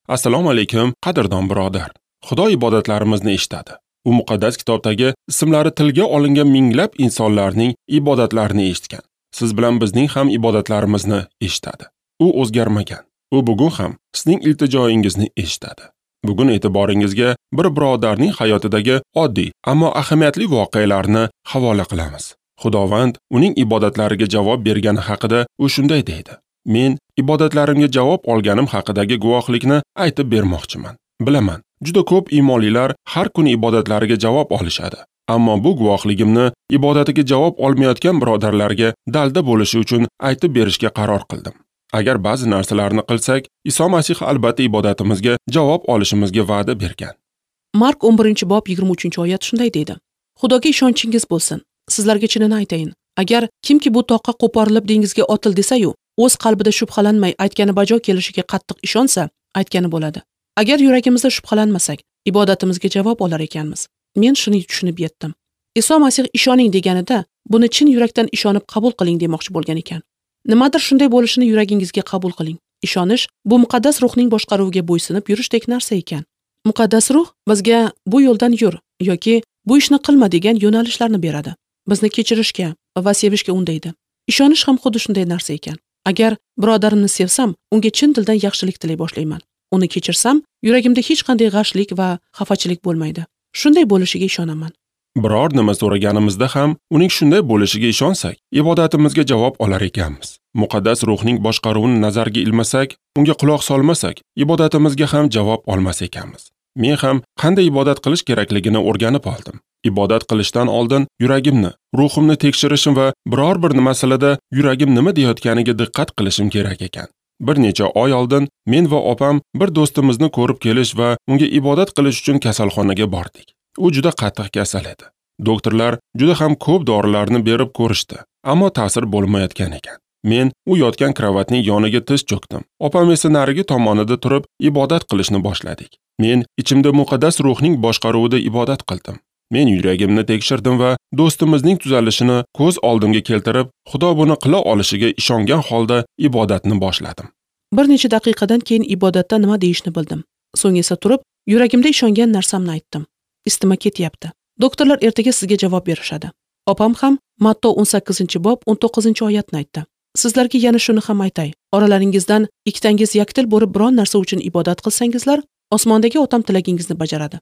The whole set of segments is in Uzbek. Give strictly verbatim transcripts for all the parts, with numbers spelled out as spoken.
Assalomu alaykum, qadrdon birodar. Xudo ibodatlarimizni eshitadi. U muqaddas kitobdagi ismlari tilga olingan minglab insonlarning ibodatlarini eshitgan. Siz bilan bizning ham ibodatlarimizni eshitadi. U o'zgarmagan. U bugun ham sizning iltijoyingizni eshitadi. Bugun e'tiboringizga bir birodarning hayotidagi oddiy, ammo ahamiyatli voqealarni havola qilamiz. Xudovand uning ibodatlariga javob bergani haqida u shunday deydi: Men ibodatlarimga javob olganim haqidagi guvohlikni aytib bermoqchiman. Bilaman, juda ko'p iymonlilar har kuni ibodatlariga javob olishadi. Ammo bu guvohligimni ibodatiga javob olmayotgan birodarlarga dalda bo'lishi uchun aytib berishga qaror qildim. Agar ba'zi narsalarni qilsak, Iso Masih albatta ibodatimizga javob olishimizga va'da bergan. Mark o'n birinchi bob yigirma uchinchi oyat shunday deydi: Xudoga ishonchingiz bo'lsin. Sizlarga chinini aytayin. Agar kimki bu toqqa qo'porilib dengizga otil desa-yu, o'z qalbida shubhalanmay aytgani bajo kelishiga qattiq ishonsa, aytgani bo'ladi. Agar yuragimizda shubhalanmasak, ibodatimizga javob olar ekanmiz. Men shuni tushunib yetdim. Iso Masih ishoning deganida, buni chin yurakdan ishonib qabul qiling demoqchi bo'lgan ekan. Nimadir shunday bo'lishini yuragingizga qabul qiling. Ishonish bu muqaddas ruhning boshqaruviga bo'ysunib yurishdek narsa ekan. Muqaddas ruh bizga bu yo'ldan yur yoki bu ishni qilma degan yo'nalishlarni beradi. Bizni kechirishga va sevishga undaydi. Ishonish ham xuddi shunday narsa ekan. Agar birodarimni sevsam, unga chin dildan yaxshilik tilay boshlayman. Uni kechirsam, yuragimda hech qanday g'ashlik va xafachilik bo'lmaydi. Shunday bo'lishiga ishonaman. Biror nima so'raganimizda ham uning shunday bo'lishiga ishonsak, ibodatimizga javob olar ekanmiz. Muqaddas ruhning boshqaruvini nazarga ilmasak, unga quloq solmasak, ibodatimizga ham javob olmas ekanmiz. Men ham qanday ibodat qilish kerakligini o'rganib oldim. Ibodat qilishdan oldin yuragimni, ruhimni tekshirishim va biror bir masalada yuragim nima deyotganiga diqqat qilishim kerak ekan. Bir necha oy oldin men va opam bir do'stimizni ko'rib kelish va unga ibodat qilish uchun kasalxonaga bordik. U juda qattiq kasal edi. Doktorlar juda ham ko'p dorilarni berib ko'rishdi, ammo ta'sir bo'lmayotgan ekan. Men u yotgan kravatning yoniga tiz cho'kdim. Opam esa narigi tomonida turib ibodat qilishni boshladik. Men ichimda muqaddas ruhning boshqaruvida ibodat qildim. Men yuragimni tekshirdim va do'stimizning tuzalishini ko'z oldimga keltirib, Xudo buni qila olishiga ishongan holda ibodatni boshladim. Bir necha daqiqadan keyin ibodatda nima deyishni bildim. So'ng esa turib, yuragimda ishongan narsamni aytdim. Isitma ketyapti. Doktorlar ertaga sizga javob berishadi. Opam ham Matto o'n sakkizinchi bob o'n to'qqizinchi oyatni aytdi. Sizlarga yana shuni ham aytay. Oralaringizdan ikkitangiz yakdil bo'lib biron narsa uchun ibodat qilsangizlar, osmondagi otam tilagingizni bajaradi.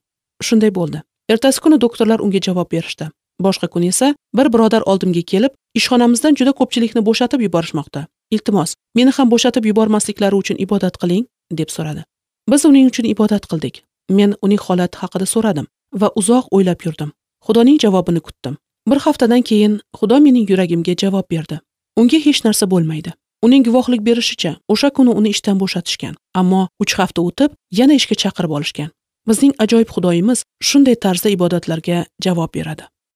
Shunday bo'ldi. Ertasi kuni doktorlar unga javob berishdi. Boshqa kun esa bir birodar oldimga kelib, ishxonamizdan juda ko'pchilikni bo'shatib yuborishmoqda. Iltimos, meni ham bo'shatib yubormasliklari uchun ibodat qiling, deb so'radi. Biz uning uchun ibodat qildik. Men uning holati haqida so'radim va uzoq o'ylab yurdim. Xudoning javobini kutdim. Bir haftadan keyin Xudo mening yuragimga javob berdi. Unga hech narsa bo'lmaydi. Uning guvohlik berishicha, o'sha kuni uni ishdan bo'shatishgan, ammo uch hafta o'tib yana ishga chaqirib olishgan. Bizning ajoyib Xudoyimiz shunday tarzda ibodatlarga javob beradi.